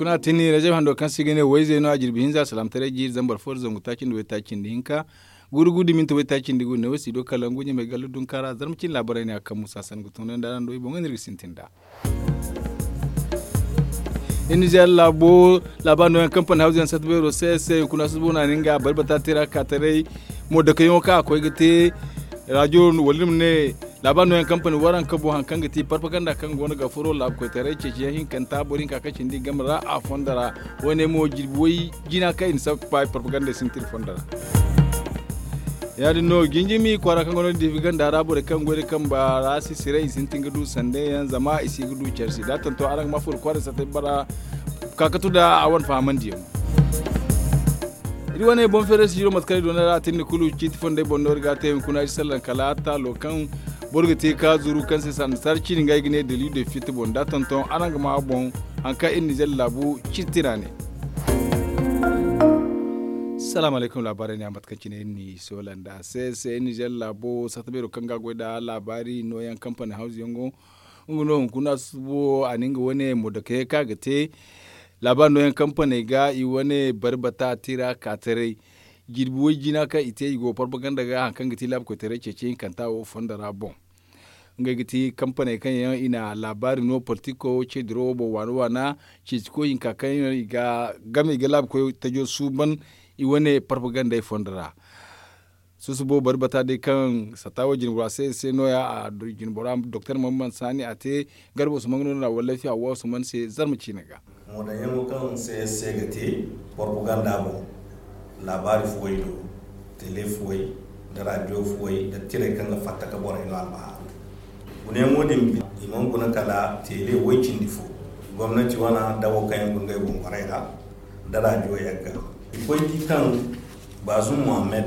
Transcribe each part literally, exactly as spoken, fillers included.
Tana tini rajab hando kaŋ se i ga ne wayzey no a jirbi hinza salaamataray jiiri zambar fo nda zangu taaci nda waytaaci nda hinka, guuru guuru da minti waytaaci nda guuru ne wo si do kala ngu ɲamay galla dunkaara zarma cine laabaray ne a kaŋ musa sanda ga tun nda araŋ do i boŋ no iri ga sintin nd'a. Iri nizeer laabo laabaari nooyaŋ kampani hawzu yaŋ satta beero se se hunkuna susubo no a na nga bari bata tira kaataray mo dake yaŋo kaŋ a koy ga te raajo wala iri ma ne laabaari nooyaŋ kampani waranka boŋ hari kaŋ ga ti parpaganda kaŋ go no ga furo laabu koytaray ceeci yaŋ hinkanta boro hinka kaŋ cindi game ra a fondo ra. Wo- ne mo jirbi way jina kaŋ i na sappa parpaganda sintin fondo ra. Ya- din no jinjimi kwaara kaŋ go no diifi ganda ra borey kaŋ goy nda kamba ra si siray i sintin ga du sanda yaŋ zama i si ga du care se da a tanto araŋ ga ma furo kwaara satta bara. Ka katu nda a wane fahamandiyaŋo. Iri wane boŋ feeray si jiro mate kaŋ iri doona ra a tindi kulu ciiti fondey boŋ no iri ga a te hunkuna iri sallan kala taalo kaŋ boro ga te ka zuru kaŋ se sanda sara ciini nga ay ga ne daliilo fitti boŋ da a tonton araŋ ga ma a boŋ. Hari kaŋ iri nizeer laabu ciiti ra ne. Salaamu alaykum laabaarey ne a mate kaŋ cine iri n'i soola nd'a se se iri nizeer laabo satta beero kaŋ ga a goy nda laabaari nooyaŋ kampani hawzu yaŋo. Nga no hunkuna susubo a na nga wane modokey kaŋ a ga te laabaari nooyaŋ kampaney ga i wane bari bata tira kaataray. Jirbi way-jina kaŋ i te i go propaganda ga hari kaŋ ga ti laabu koytaray ceeci hinkanta wo fondo ra boŋ. Ngey ga ti kampaney kaŋ yaŋ i na laabaari no politiko ce dirawo boŋ waana waana. Ceeci koy hinka kaŋ yaŋ i ga game i ga laabu koy tajo suuban i wane propagandey fondo ra. Susubo bari bata day kaŋ satta wo jinbora se se no- ya a jinbora doktor mamman saani a te. Garba usman no na wallafi hawwa usman se zarma ciine ga. Moodaŋ yaŋo kaŋ se se ga te propaganda boŋ laabaari fuwey do, tele fuwey, nda raadiyo fuwey nda tirey kaŋ ga fatta ka borey no almahaaru. Guna yaŋo din i mana guna kala tele way cindi fo. Gomnati wane dawo kaŋ yaŋ guna ngey boŋ borey ra nda raadiyo yagga. I koy di kaŋ baazum muhammad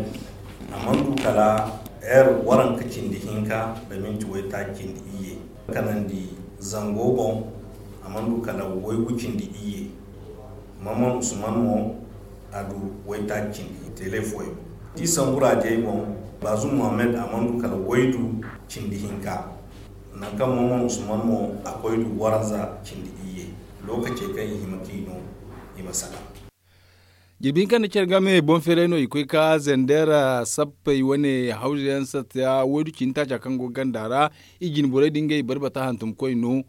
a mana du kala heer waranka cindi hinka nda minti waytaaci cindi iyye. Kanandi zango boŋ a mana du kala waygu cindi iyye. Mamman usman mo a du waytaaci cindi tele fuwey. Di sambu raajey boŋ, baazum muhammad a mana du kala waydu cindi hinka. Nangu kaŋ mamman usman mo a koy du waranza cindi iyye. Lookacey kaŋ i hima k'i no i ma saka. Jirbi hinka nda care game boŋ feeray no i koy ka zender sappey wane hawzu yaŋ satta waydu cindi taaca kaŋ go ganda ra. I jine borey din ngey bari bata hantum koy no.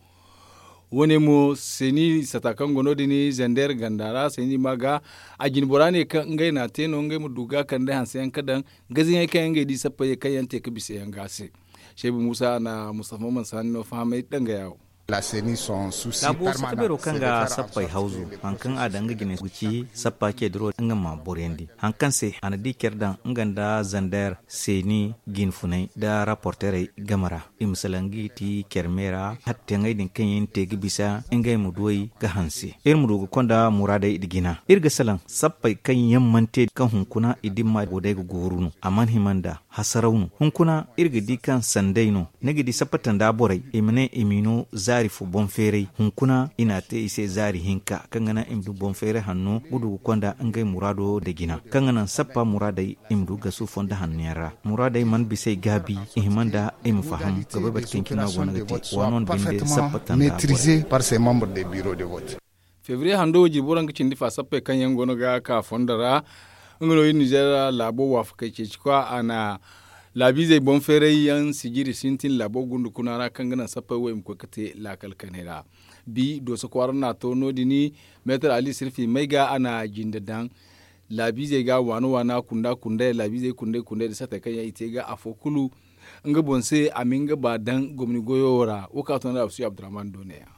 Wo- ne mo seeni sata kaŋ go no- din zender ganda ra seeni ma ga a jine bora ne kaŋ ngey na a te no ngey ma du ga kande hanse yaŋ ka daŋ gaziŋey kaŋ yaŋ ngey di sappey kaŋ yaŋ te ka bisa yaŋ ga se. Seebu muusa na mustafa mansaani no fahamay dangaya wo. Laabo satta beero kaŋ ga sappey hawzu hari kaŋ a daŋ nga jine ga ci sappa ce diro nga ma boryandi hari kaŋ se a na di care daŋ nga nda zander seeni jinfunay nda raporterey game ra. I ma salaŋ ga i ti care me ra. Hatteŋey din kaŋ yaŋ te ga bisa ngey ma duw'ey ga hanse iri ma du ga konda muraadey nda jina iri ga salaŋ sappey kaŋ yaŋ mana te kaŋ hunkuna i dimma go day ga gooru no a mana hima nda hasaraw no hunkuna iri ga di kaŋ sanday no. Ni ga di sappa tanda borey i ma ne i m'i no zaari fo boŋ feeray hunkuna i n'a te i se zaari hinka kaŋ ga naŋ i ma du boŋ feeray hanno ga du ga konda ngey muraado nda jina kaŋ ga naŋ sappa muraadey i ma du gasu fondo hanno yaŋ ra. Muraadey mana bisa ay gaabi i hima nda i ma faham ga bay bate kaŋ cine no a go no ga te waano nda binde sappa tanda borey. Febriye hando wo jirbi waranka cindi fa sappey kaŋ yaŋ go no ga ka fondo ra. Nga no iri nizeer laabo waafakey ceeci kwa a na laabiizey boŋ feeray yaŋ sijiri sintin laabo gundu kuna ra kaŋ ga naŋ sappey wo i ma koy ga te laakal kanay ra. Bi dooso kwaara no a to no- din meetar ali sirfi may ga a na jinde daŋ laabiizey ga waana waana kunda kundey laabiizey kundey kundey nda sattey kaŋ yaŋ i te ga afo kulu nga boŋ se a ma nga ba daŋ gomni goyo ra wo kaŋ a to no da absu abdurrahman do ne ya.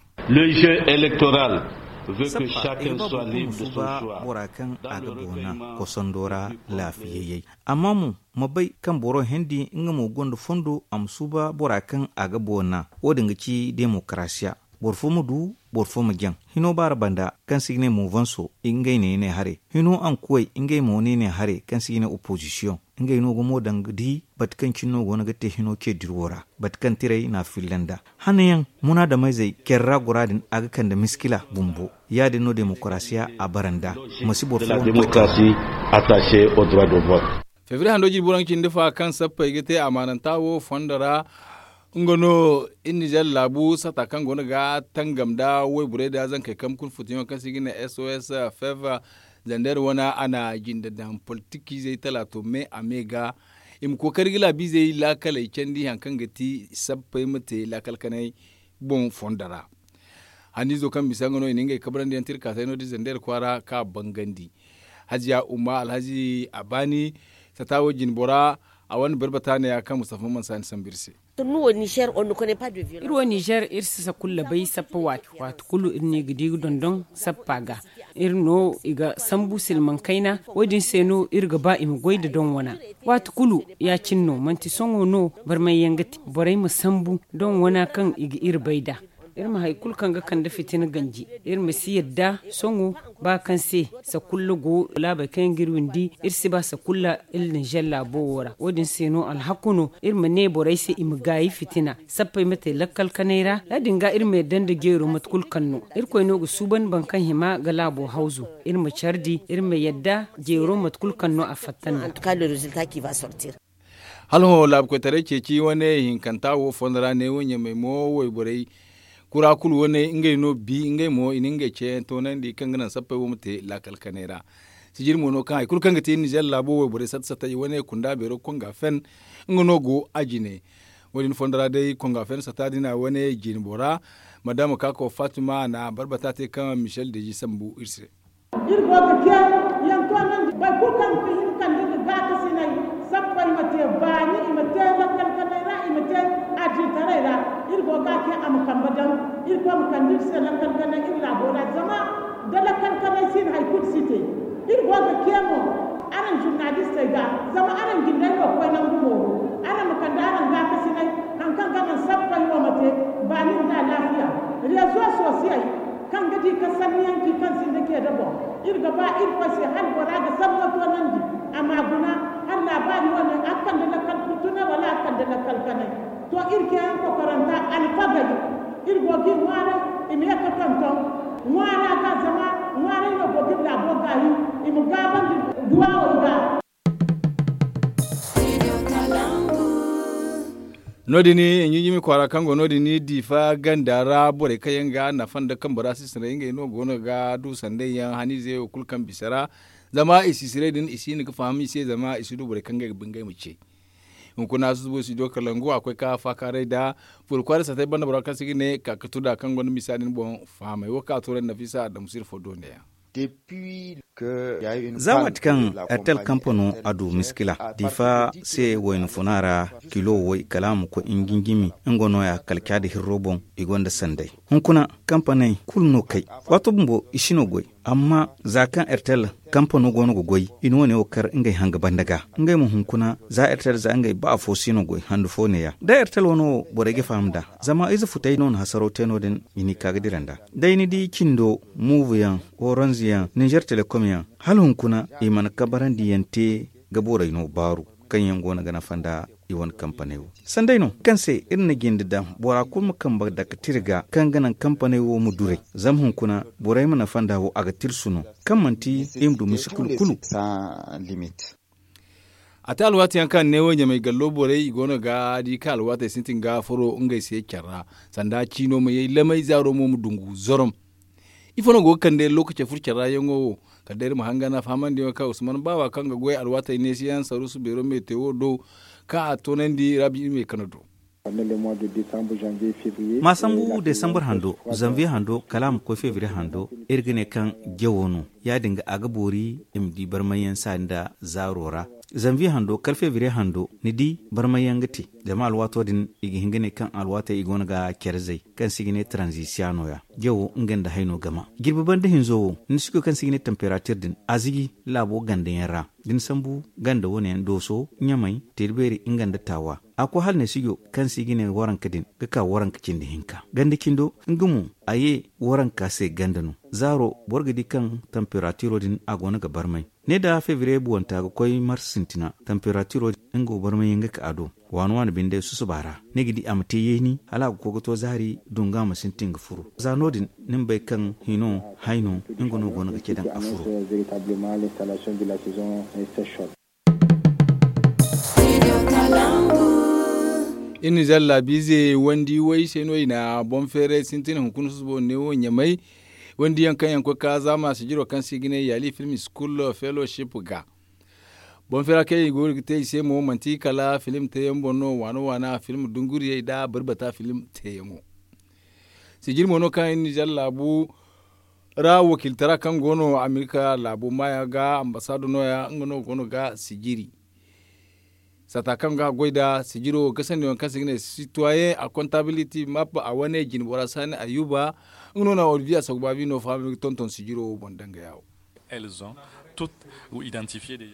Sappa i ga ba boro kulu ma suuba bora kaŋ a ga boona kosondo ra laafiyayyey. Amma mo ma bay kaŋ boro hendi nga mo gonda fondo a ma suuba bora kaŋ a ga boona wo- din ga ci demokarasiya. Boro fo ma du boro fo ma jaŋ hino baara banda kaŋ se i ga ne moovanso ngey ne i ne hare hino ankuwey ngey mo no i ne hare kaŋ se i ga ne opozisiyoŋ. Ngey no ga mo daŋ ga di bate kaŋ cine no go no ga te hino ce diro ra bate kaŋ tirey n'a filla nda hanayaŋ munaadameyzey care ra gora din a ga kande miskila bumbo. Ya- din no demokarasiya a bara nda ma si boro fo. Febriye hando jirbi waranka cindi fa kaŋ sappey ga te amaananta wo fondo ra. Nga no iri nizer laabu sata kaŋ go no ga tangam nda wayborey nda zankey kambe kulu futuyaŋo kaŋ se i ga ne sos fev. Zander wane a na jinde daŋ politikizey talaato me a me ga i ma kookari ga laabiizey laakaley candi hari kaŋ ga ti sappey ma te laakal kanay boŋ fondo ra. Haniizo kaŋ bisa nga no i na ngey kabrandi yaŋ tirkaasay no- din zander kwaara kaŋ a bangandi. Haziya umma alhazi a baani sata wo jinbora a wane barbata ne- ya kaŋ mustafa man saani sambu iri se. Iri wo nizer iri si sakulla bay sappa waati waati kulu iri no i ga di ga dondon sappa ga. Iri no i ga sambu silmaŋ kayna wo- din se no iri ga ba i ma goy nda doŋ wana. Waati kulu ya- cine no manti sohõ no barmay yaŋ ga te borey ma sambu doŋ wana kaŋ i ga iri bay nd'a. Iri ma hari kulu kaŋ ga kande fitina ganji iri ma si yadda sohõ ba kaŋ se sakulla go laabey kaŋ yaŋ ga iri windi iri si ba sakulla iri nizer laabo wo ra wo- din se no alhaku no iri ma ne borey se i ma gaayi fitina sappey ma te lakkal kanay ra ya- din ga iri ma yadda nda jeero mate kulu kaŋ no. Irkoy no ga suuban boro kaŋ hima ga laabo hawzu iri ma care di iri ma yadda jeero mate kulu kaŋ no a fatta nda. Hala hõ laabu koytaray ceeci wane hinkanta wo fondo ra ne wo ɲamey mo wayborey kura kulu wane ngey no bi ngey mo i na ngey ceeyaŋ toonandi kaŋ ga naŋ sappey wo ma te laakal kanay ra. Sijiri mo no kaŋ hari kulu kaŋ ga te nizer laabo wayborey satta satta i wane kunda beero konga fen nga no go a jine. Wo- din fondo ra day konga fen satta din a wane jine bora madama kako fatima a na barbata te kaŋ michel deji sambu iri se. Iri go ga ce yaŋ toonandi boro kulu kaŋ ga hin kande nda gaakasinay sappey ma te baani i ma te lakkal kanay ra i ma te adilitaray ra. Iri go ga a ce a ma kambe daŋ iri koy ma kande iri se lakkal kanay iri laabo ra zama da lakkal kanay si no hari kulu si te. Iri go ga ce mo araŋ zurnalistey ga zama araŋ jindey no ga koy nangu mooro araŋ ma kande araŋ gaakasinay hari kaŋ ga naŋ sappey wo ma te baani nda alaafiya rezo sosiyey kaŋ ga di ka sanniyaŋ ci kaŋ sinda ce da boŋ. Iri ga ba irkoy se hala bora ga sanno toonandi a ma guna hala laabaari wane a ga kande lakkal kurtunay wala a ga kande lakkal kanay. To iri ceeyaŋ kokoranta alfagey iri go ga i ŋwaaray i ma ye ga tonton ŋwaara ga zama ŋwaaray no go ga iri laabo gaayi i ma gaabandi duwawey ga. No- din ɲinjimi kwaara kaŋ go no- din diifa ganda ra borey kaŋ yaŋ ga nafa nda kambe ra sisinay ngey no go no ga du sanday yaŋ haniize wo kulu kaŋ bisa ra. Zama i sisiray din i si hin ga faham i se zama i si du borey kaŋ ngey ga ba ngey ma ce. Hunkuna susubo studio kalangu a koy ka faakaaray nda furo kwaara satay banda bora kaŋ se ga ne ka ga tunda kaŋ gonda misa din boŋ fahamay wo kaŋ a tooray nafisa adamu sirfo do ne yaŋ. Za waati kaŋ ertel kampano a du miskila diifa se wayna funa ra kilo way kala a ma koy nginjimi nga no- ya kala caadi hirro boŋ i gonda sanday. Hunkuna kampaney kulu no kay waato bumbo i si no goy. Amma za kaŋ ertel kampano go no ga goy i na wane wo kar ngey hanga banda ga ngey ma hunkuna za ertel za ngey ba afo si no goy handu fo ne- ya da ertel wano wo borey ga faham nd'a. Zama ize futay no na hasaraw te no- din i n'i ka ga dira nd'a. Day ni di cindo muuvu yaŋ, oranz yaŋ, ninzer telekom yaŋ, hala hunkuna i mana kabarandi yaŋ te ga borey no baaru kaŋ yaŋ go no ga nafa nda i wane kampaney wo. Sanday no kaŋ se iri na jinde daŋ bora kulu ma kambe dake tira ga kaŋ ga naŋ kampaney wo ma duray. Zama hunkuna borey ma nafa nda wo a ga tirsu no kaŋ manti i ma du misi kulu kulu. A te alwaati yaŋ kaŋ ne wo ɲamay gallo borey i go no ga di kaŋ alwaatey sintin ga furo ngey se care ra sanda ciino ma yay lamay zaaro mo ma dungu zorom. Ifo no go ga kande lokaci furo care ra yaŋo wo kala day iri ma hanga na fahamandiyaŋo kaŋ usman baawa kaŋ ga goy alwaatey neesiyaŋ saruusu beero metewo do kaŋ a toonandi rabi iri me kano do. Ma sambu desambur hando zanviye hando kala a ma koy fevriye hando iri ga ne kaŋ jawo no ya- din ga a ga boori i ma di barmayyaŋ saani nda zaaro ra. Zanviye hando kala fevriye hando ni di barmayyaŋ ga te. Zama alwaato din i ga hin ga ne kaŋ alwaatey i go no ga care zay kaŋ se i ga ne taranzisiya no- ya jawo nga nda hayno gama jirbi banda hinzo wo ni si koy kaŋ se i ga ne tamperatir din a ziji laabo ganda yaŋ ra. Da ni sambu ganda wane yaŋ dooso ɲamay teeri beeri nga nda taawa a koy hala ne sijo kaŋ se i ga ne waranka din ga ka waranka cindi hinka ganda cindo nga mo a ye waranka se ganda no. Zaaro boro ga di kaŋ tamperatiro din a go no ga barmay ne da fevriye buwanta ga koy mars sintina tamperatiro din nga wo barmay yaŋ ga ka a do. Waani waani binde susuba ra ni ga di a ma te yeeni hala a ga koy ga to zaari dunga ma sintin ga furo za no- din ni ma bay kaŋ hino hayno nga no go no ga ce daŋ a furo. Iri na zalla biize wandi way se no i na boŋ feeray sintin hunkuna susubo neewo ɲamay. Wandi yaŋ kaŋ yaŋ koy ka zaama sijiro kaŋ se i ga ne yaali film school fellowship ga. Boŋ feera kaŋ i go ga te i se mo manti kala film teeyaŋ boŋ no waana waana film dunguriyey nda barbata film teeyaŋo. Sijiri mo no kaŋ iri na zalla laabu ra wakiiltara kaŋ go no amerika laabo maayo ga ambasaado no- ya nga no go no ga sijiri. Saata kaŋ ga goy nda sijiro ga sanni waŋ kaŋ se i ga ne sitwayen a kontabiliti map a wane jine bora saani ayuba. Nga no na olivier a sagu baabi no fahamay ga tonton sijiro boŋ danga yaawo.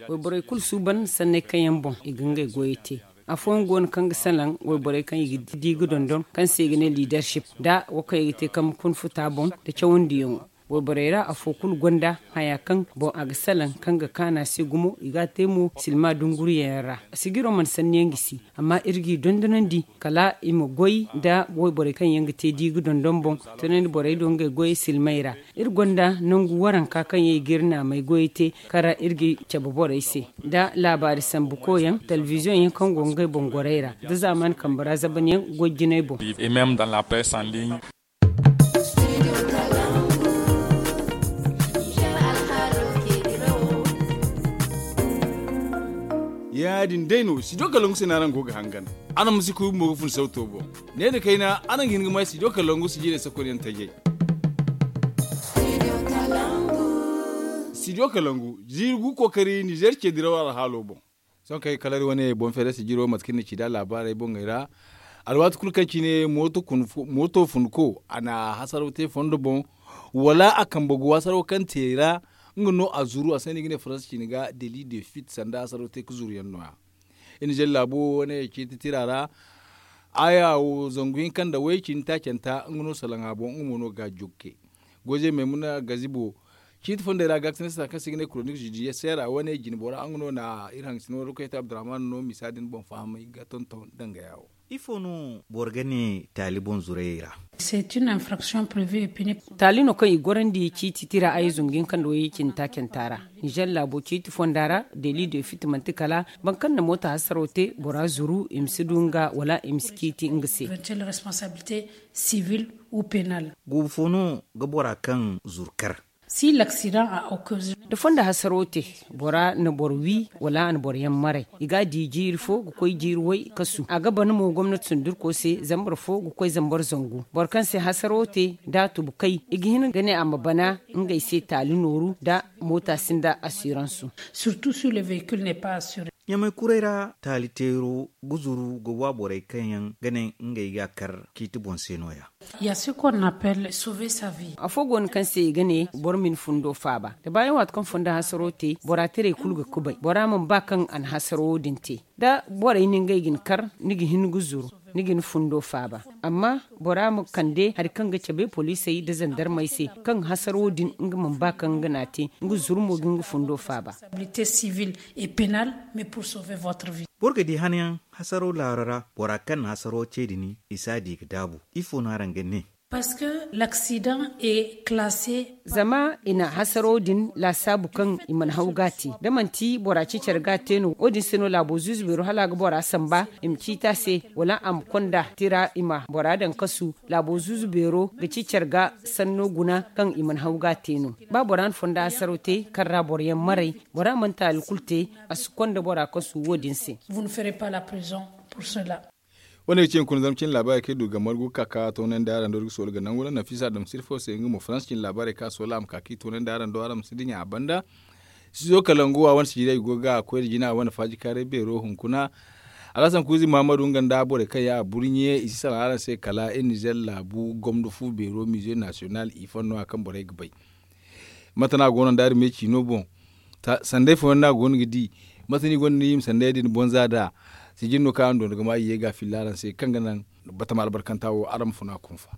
Wayborey kulu suuban sanney kaŋ yaŋ boŋ i ga ngey goyey te. Afooyaŋ go no kaŋ ga salaŋ wayborey kaŋ i ga di ga dondon kaŋ se i ga ne liidarship nda wo kaŋ i ga te kambe kuna futa boŋ nda cawandiyaŋo. Wayborey ra afo kulu gonda haya kaŋ boŋ a ga salaŋ kaŋ ga kaanu a se gumo i ga a te mo silma dunguriyaŋ ra. Sijiro mana sanniyaŋ gisi amma iri g'i dondonandi kala i ma goy nda wayborey kaŋ yaŋ ga te di ga dondon boŋ. Tunandi borey do ngey goyey silmey ra. Iri gonda nangu waranka kaŋ yaŋ i ga iri naamey goyey te kaŋ ra iri ga cabe borey se nda laabaari sambu koyyaŋ telebiziyoŋ yaŋ kaŋ go ngey boŋ gorey ra nda zaamaani kambe ra zabanyaŋ goy jinay boŋ. Ya- din day no studio kalangu se no araŋ go ga hangan. Araŋ ma si kuubi mo ga fun sawto boŋ. Ne nda kayna araŋ ga hin ga may studio kalangu sijirey sakoy yaŋ tajay. Studio kalangu ziiri gu kookari nizer ce diraw alhaalo boŋ. Sohõ kaŋ ay ga kala iri wane boŋ feerey sijiro mate kaŋ iri na ci nd'a laabaarey boŋey ra. Alwaati kulu kaŋ cine mooto funko a na hasaraw te fondo boŋ, wala a kambe go hasaraw kaŋ te ra. Nga no a zuru a se no i ga ne faransa cine ga deli de fit sanda hasaraw te ga zuru yaŋ no- ya. Iri na zari laabo wane ciiti tira ra. Aya wo zangu hinka nda way cindi taacanta nga no salaŋ a boŋ nga mo no ga jokke. Goze maymuna gazibo ciiti fondey ra ga ga sanda sanda kaŋ se i ga ne koronik zudiyesera wane jine bora nga no na iri hangasino ra koy te abdurrahman no misa din boŋ fahamay ga tonton danga ya wo. Ifo no boro ga ne taali boŋ zurayey ra? Taali no kaŋ i gorandi ciiti tira ay zungu hinka nda way cindi taacanta ra. Nizer laabo ciiti fonda ra deli de fiti manti kala boro kaŋ na moota hasaro te bora zuru i ma si du nga wala i ma si ciiti nga se. Guubu fo no ga bora kaŋ zuru kar? Da fondo hasaro te bora na boro wi wala a na boro yaŋ maray i ga a di jiiri fo ga koy jiiri way kasu a ga ban mo gomnati sundurko se zambar fo ga koy zambar zangu boro kaŋ se hasaro te da a tubu kay i ga hin ga ne a ma bana ngey se taali nooru da moota sinda asiransu. Ɲamay kuray ra taali teero ga zuru ga wa borey kaŋ yaŋ ga ne ngey ga a kar ciiti boŋ se no- ya. Afo go no kaŋ se i ga ne boro ma ni fundo faaba da baayaŋ waati kaŋ fondo hasaro te bora tirey kulu ga kubay bora mana ba kaŋ a na hasaro wo- din te da borey na ngey ga ni kar ni ga hin ga zuru ni ga ni fundo faaba. Amma bora ma kande hari kaŋ ga cabe poliisey nda zandarmey se kaŋ hasaro wo- din nga mana ba kaŋ nga n'a te nga zuru mo ga nga fundo faaba. Boro ga di hanayaŋ hasaro laaro ra bora kaŋ na hasaro te din i si a di ga daabu. Ifo no araŋ ga ne? Zama i na hasaro din laasaabu kaŋ i mana haw ga a te da manti bora ci care ga a te no wo- din se no laabo zuuzu beero hala a ga bora samba i ma ciiti a se wala a ma konda tira i ma bora daŋ kasu. Laabo zuuzu beero ga ci care ga sanno guna kaŋ i mana haw ga a te no. Ba bora na fondo hasaro te kaŋ ra boro yaŋ maray bora mana taali kulu te a si konda bora kasu wo- din se. Wane ga ci hunkuna zama cine laabaarey kaŋ i du ga margu ga ka ka toonandi araŋ do iri ga soolu ga nangu ra nafisa dam sirfo se nga mo faransa cine laabaarey kaŋ a soola a ma ka ka i toonandi araŋ do araŋ ma si dinya a banda. Sizo kalangu a wane sijirey go ga koy da jina a wane faajikaaray beero hunkuna. Alhasan kuuzi muhammadu nga nda borey kaŋ yaŋ a burɲe i si salaŋ araŋ se kala iri nizer laabu gomdo fu beero mize nasiyonal i fanno a kaŋ borey ga bay. Mate no a go no nda araŋ me ciino boŋ? Sanday fooyaŋ no a go no ga di? Mate no i gonda no i ma sanday din bonza nd'a? Sijin no kaŋ araŋ doona ga ma i ye ga a filla araŋ se kaŋ ga naŋ batama albarkanta wo araŋ ma funa kunfa.